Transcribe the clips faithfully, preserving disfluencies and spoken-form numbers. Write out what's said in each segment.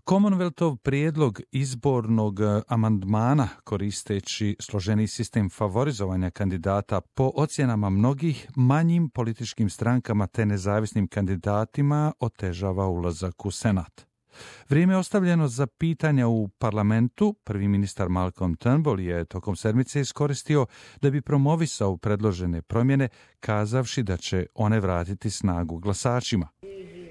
Commonwealthov prijedlog izbornog amandmana koristeći složeni sistem favorizovanja kandidata po ocjenama mnogih manjim političkim strankama te nezavisnim kandidatima otežava ulazak u Senat. Vrijeme ostavljeno za pitanja u parlamentu, prvi ministar Malcolm Turnbull je tokom sedmice iskoristio da bi promovisao predložene promjene, kazavši da će one vratiti snagu glasačima.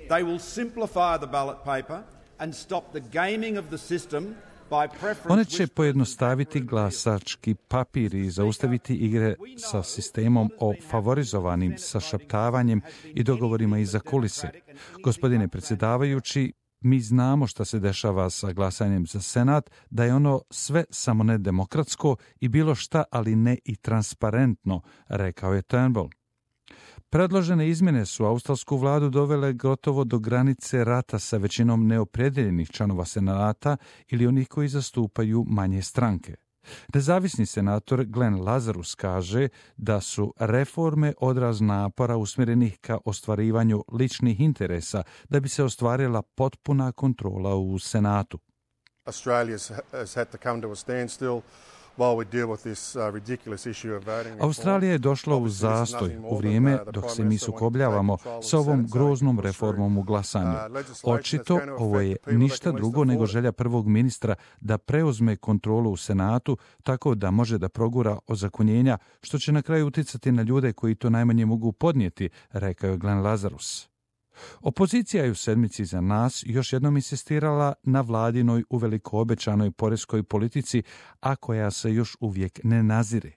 They will simplify the ballot paper and stop the gaming of the system by preference. One će pojednostaviti glasački papir i zaustaviti igre sa sistemom o favorizovanim sašaptavanjem i dogovorima iza kulise. Gospodine predsjedavajući, mi znamo šta se dešava sa glasanjem za Senat, da je ono sve samo ne demokratsko i bilo šta, ali ne i transparentno, rekao je Turnbull. Predložene izmjene su australsku vladu dovele gotovo do granice rata sa većinom neopredeljenih članova Senata ili onih koji zastupaju manje stranke. Nezavisni senator Glenn Lazarus kaže da su reforme odraz napora usmjerenih ka ostvarivanju ličnih interesa da bi se ostvarila potpuna kontrola u Senatu. Australia has had to come to a standstill while we deal with this uh, ridiculous issue of voting. Australija je došla u zastoj u vrijeme dok se mi sukobljavamo s ovom groznom reformom u glasanju. Očito ovo je ništa drugo nego želja prvog ministra da preuzme kontrolu u Senatu tako da može da progura ozakonjenja, što će na kraju uticati na ljude koji to najmanje mogu podnijeti, rekao je Glenn Lazarus. Opozicija je u sedmici za nas još jednom insistirala na vladinoj uveliko obećanoj poreskoj politici, a koja se još uvijek ne nazire.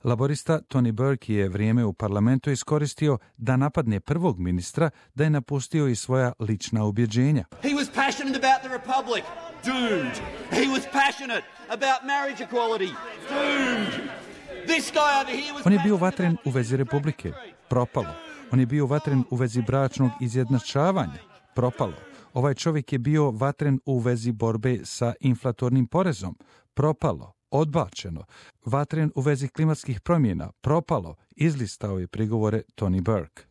Laborista Tony Burke je vrijeme u parlamentu iskoristio da napadne prvog ministra da je napustio i svoja lična ubjeđenja. He was passionate about the republic. Doomed. He was passionate about marriage equality. Doomed. This guy over here was On je bio vatren u vezi republike. Propalo. On je bio vatren u vezi bračnog izjednačavanja. Propalo. Ovaj čovjek je bio vatren u vezi borbe sa inflatornim porezom. Propalo. Odbačeno. Vatren u vezi klimatskih promjena. Propalo. Izlistao je prigovore Tony Burke.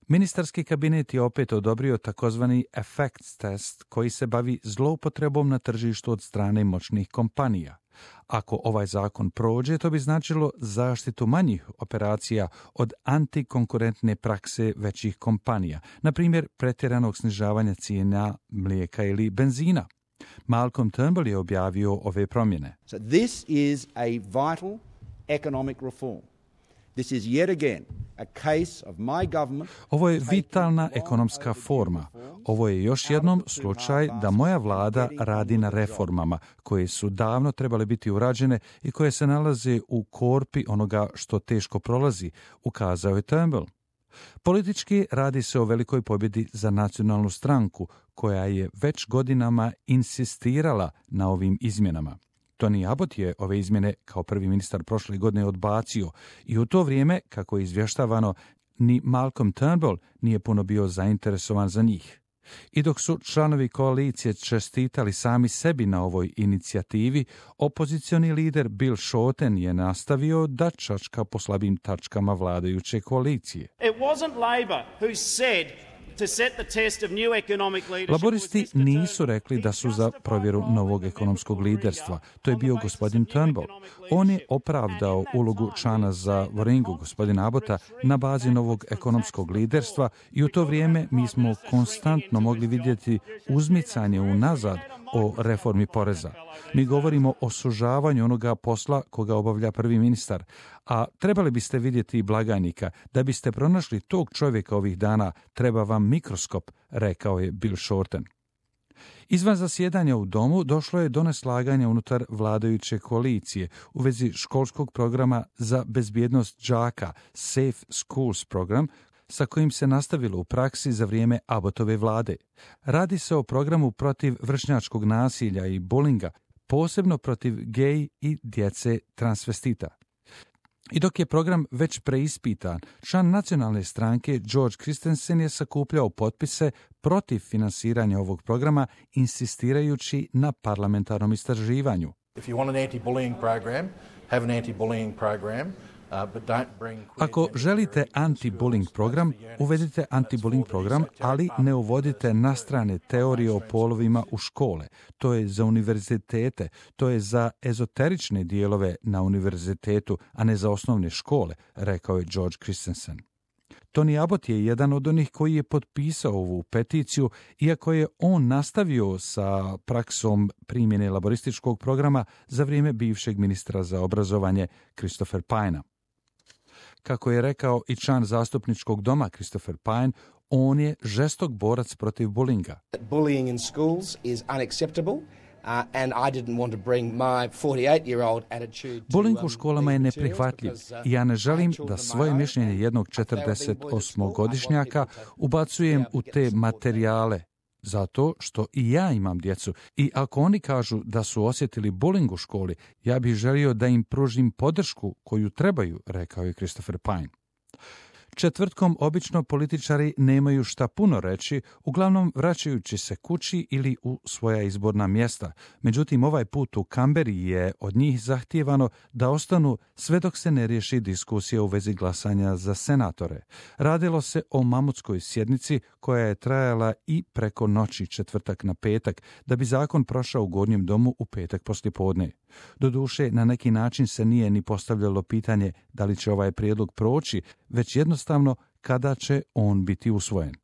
Ministarski kabinet je opet odobrio takozvani effects test koji se bavi zloupotrebom na tržištu od strane moćnih kompanija. Ako ovaj zakon prođe, to bi značilo zaštitu manjih operacija od antikonkurentne prakse većih kompanija, na primjer pretjeranog snižavanja cijena mlijeka ili benzina. Malcolm Turnbull je objavio ove promjene. So this is a vital economic reform. This is yet again a case of my government. Ovo je vitalna ekonomska forma. Ovo je još jednom slučaj da moja vlada radi na reformama koje su davno trebale biti urađene i koje se nalaze u korpi onoga što teško prolazi, ukazao je Turnbull. Politički radi se o velikoj pobjedi za nacionalnu stranku koja je već godinama insistirala na ovim izmjenama. Tony Abbott je ove izmjene kao prvi ministar prošle godine odbacio i u to vrijeme, kako je izvještavano, ni Malcolm Turnbull nije puno bio zainteresovan za njih. I dok su članovi koalicije čestitali sami sebi na ovoj inicijativi, opozicioni lider Bill Shorten je nastavio da čačka po slabim tačkama vladajuće koalicije. It wasn't Labor who said to set the test of new economic leadership. Laboristi nisu rekli da su za provjeru novog ekonomskog liderstva. To je bio gospodin Turnbull. On je opravdao ulogu člana za Waringu, gospodina Abbotta, na bazi novog ekonomskog liderstva i u to vrijeme mi smo konstantno mogli vidjeti uzmicanje unazad o reformi poreza. Mi govorimo o sužavanju onoga posla koga obavlja prvi ministar, a trebali biste vidjeti i blagajnika. Da biste pronašli tog čovjeka ovih dana, treba vam mikroskop, rekao je Bill Shorten. Izvan zasjedanja u domu došlo je do neslaganja unutar vladajuće koalicije u vezi školskog programa za bezbjednost đaka, Safe Schools program, sa kojim se nastavilo u praksi za vrijeme Abbotove vlade. Radi se o programu protiv vršnjačkog nasilja i bullinga, posebno protiv gej i djece transvestita. I dok je program već preispitan, član nacionalne stranke George Christensen je sakupljao potpise protiv finansiranja ovog programa, insistirajući na parlamentarnom istraživanju. If you want an anti-bullying program, have an anti-bullying program. Ako želite anti-bullying program, uvedite anti-bullying program, ali ne uvodite nastrane teorije o polovima u škole. To je za univerzitete, to je za ezoterične dijelove na univerzitetu, a ne za osnovne škole, rekao je George Christensen. Tony Abbott je jedan od onih koji je potpisao ovu peticiju, iako je on nastavio sa praksom primjene laborističkog programa za vrijeme bivšeg ministra za obrazovanje Christopher Pyne. Kako je rekao i član zastupničkog doma Christopher Pyne, on je žestok borac protiv bulinga. Bullying in schools is unacceptable. Uh, and I didn't want to bring my forty-eight-year-old attitude to, Bullying um, u školama je neprihvatljiv i ja ne želim da svoje mišljenje jednog četrdesetosmogodišnjaka ubacujem u te materijale, zato što i ja imam djecu i ako oni kažu da su osjetili bullying u školi, ja bih želio da im pružim podršku koju trebaju, rekao je Christopher Pyne. Četvrtkom obično političari nemaju šta puno reći, uglavnom vraćajući se kući ili u svoja izborna mjesta. Međutim, ovaj put u Kamberi je od njih zahtijevano da ostanu sve dok se ne riješi diskusija u vezi glasanja za senatore. Radilo se o mamutskoj sjednici koja je trajala i preko noći četvrtak na petak, da bi zakon prošao u Gornjem domu u petak poslijepodne. Doduše, na neki način se nije ni postavljalo pitanje da li će ovaj prijedlog proći, već jednostavno kada će on biti usvojen.